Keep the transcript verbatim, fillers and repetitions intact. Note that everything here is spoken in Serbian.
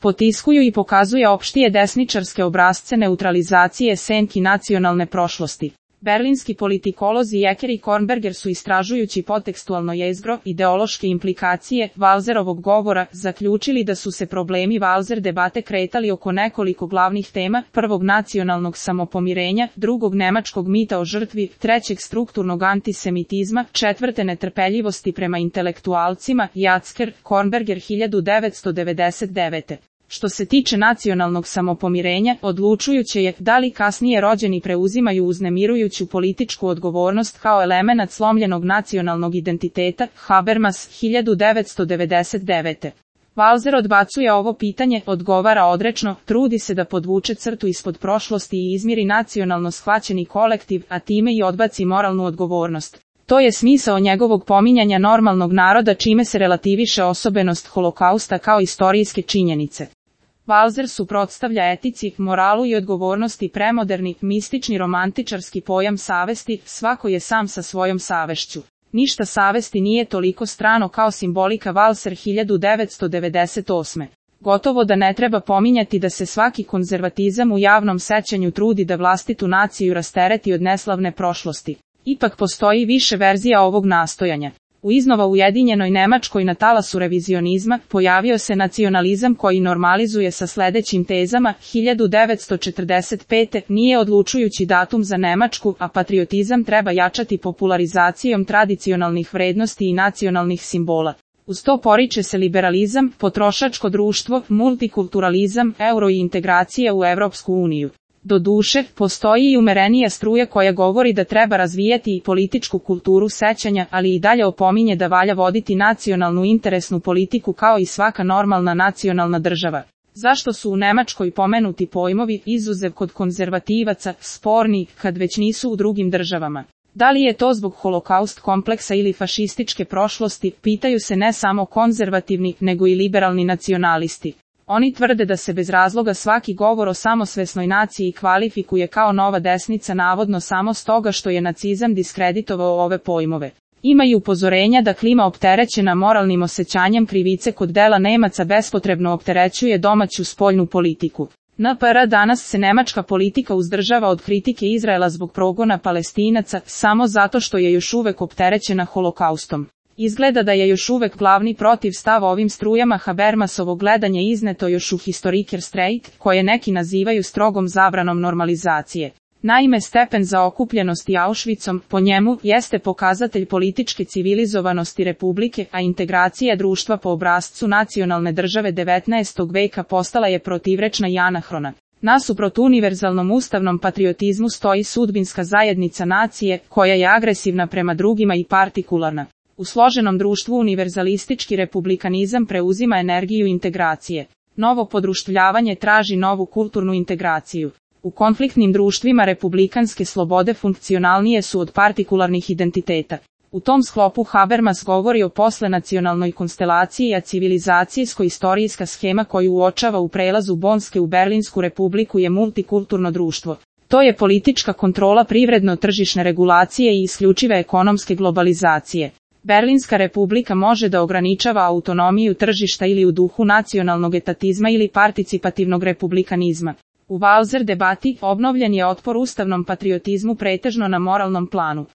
potiskuju i pokazuje opštije desničarske obrazce neutralizacije senki nacionalne prošlosti. Berlinski politikolozi Jeker i Kornberger su istražujući potekstualno jezgro, ideološke implikacije Walzerovog govora, zaključili da su se problemi Walzer debate kretali oko nekoliko glavnih tema: prvog nacionalnog samopomirenja, drugog nemačkog mita o žrtvi, trećeg strukturnog antisemitizma, četvrte netrpeljivosti prema intelektualcima. Jacker, Kornberger hiljadu devetsto devedeset devete. Što se tiče nacionalnog samopomirenja, odlučujuće je da li kasnije rođeni preuzimaju uznemirujuću političku odgovornost kao elemenat slomljenog nacionalnog identiteta. Habermas, hiljadu devetsto devedeset devete. Walzer odbacuje ovo pitanje, odgovara odrečno, trudi se da podvuče crtu ispod prošlosti i izmiri nacionalno shvaćeni kolektiv, a time i odbaci moralnu odgovornost. To je smisao njegovog pominjanja normalnog naroda, čime se relativiše osobenost holokausta kao istorijske činjenice. Walzer suprotstavlja etici, moralu i odgovornosti premoderni, mistični romantičarski pojam savesti, svako je sam sa svojom savešću. Ništa savesti nije toliko strano kao simbolika. Walzer hiljadu devetsto devedeset osme. Gotovo da ne treba pominjati da se svaki konzervatizam u javnom sećanju trudi da vlastitu naciju rastereti od neslavne prošlosti. Ipak postoji više verzija ovog nastojanja. U iznova ujedinjenoj Nemačkoj na talasu revizionizma pojavio se nacionalizam koji normalizuje sa sledećim tezama: hiljadu devetsto četrdeset pete. Nije odlučujući datum za Nemačku, a patriotizam treba jačati popularizacijom tradicionalnih vrednosti i nacionalnih simbola. Uz to poriče se liberalizam, potrošačko društvo, multikulturalizam, euro i integracija u Evropsku uniju. Doduše, postoji i umerenija struja koja govori da treba razvijati i političku kulturu sećanja, ali i dalje opominje da valja voditi nacionalnu interesnu politiku kao i svaka normalna nacionalna država. Zašto su u Nemačkoj pomenuti pojmovi, izuzev kod konzervativaca, sporni, kad već nisu u drugim državama? Da li je to zbog holokaust kompleksa ili fašističke prošlosti, pitaju se ne samo konzervativni, nego i liberalni nacionalisti. Oni tvrde da se bez razloga svaki govor o samosvesnoj naciji kvalifikuje kao nova desnica, navodno samo stoga što je nacizam diskreditovao ove pojmove. Ima i upozorenja da klima opterećena moralnim osjećanjem krivice kod dela Nemaca bespotrebno opterećuje domaću spoljnu politiku. N P R danas se nemačka politika uzdržava od kritike Izraela zbog progona Palestinaca, samo zato što je još uvek opterećena holokaustom. Izgleda da je još uvek glavni protiv stav ovim strujama. Habermasovo gledanje izneto još u Historiker Streit, koje neki nazivaju strogom zabranom normalizacije. Naime, stepen zaokupljenosti Auschwitzom, po njemu, jeste pokazatelj političke civilizovanosti republike, a integracija društva po obrascu nacionalne države devetnaestog veka postala je protivrečna i anahrona. Nasuprot univerzalnom ustavnom patriotizmu stoji sudbinska zajednica nacije, koja je agresivna prema drugima i partikularna. U složenom društvu univerzalistički republikanizam preuzima energiju integracije. Novo podruštvljavanje traži novu kulturnu integraciju. U konfliktnim društvima republikanske slobode funkcionalnije su od partikularnih identiteta. U tom sklopu Habermas govori o poslenacionalnoj konstelaciji, a civilizacijsko-istorijska schema koju uočava u prelazu Bonske u Berlinsku republiku je multikulturno društvo. To je politička kontrola privredno-tržišne regulacije i isključive ekonomske globalizacije. Berlinska republika može da ograničava autonomiju tržišta ili u duhu nacionalnog etatizma ili participativnog republikanizma. U Walzer debati obnovljen je otpor ustavnom patriotizmu pretežno na moralnom planu.